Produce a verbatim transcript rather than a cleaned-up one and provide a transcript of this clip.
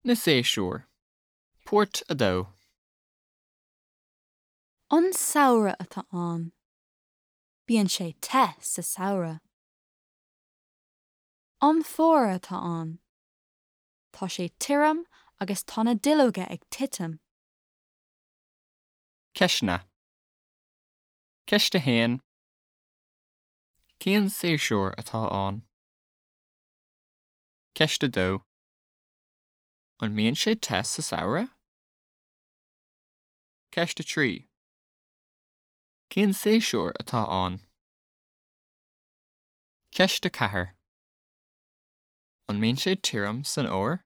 Na séasúir. Páirt a dó. An samhradh atá ann. Bíonn sé te sa samhradh. An fómhar atá ann. Tá sé tirim agus tá na duilleoga ag titim. Ceisteanna. Ceist a haon. Cén séasúr atá ann? Ceist a dó. An mbíonn sé te sa samhradh? Ceist a trí. Cén séasúr atá ann? Ceist a ceathair. An mbíonn sé tirim san fhómhar?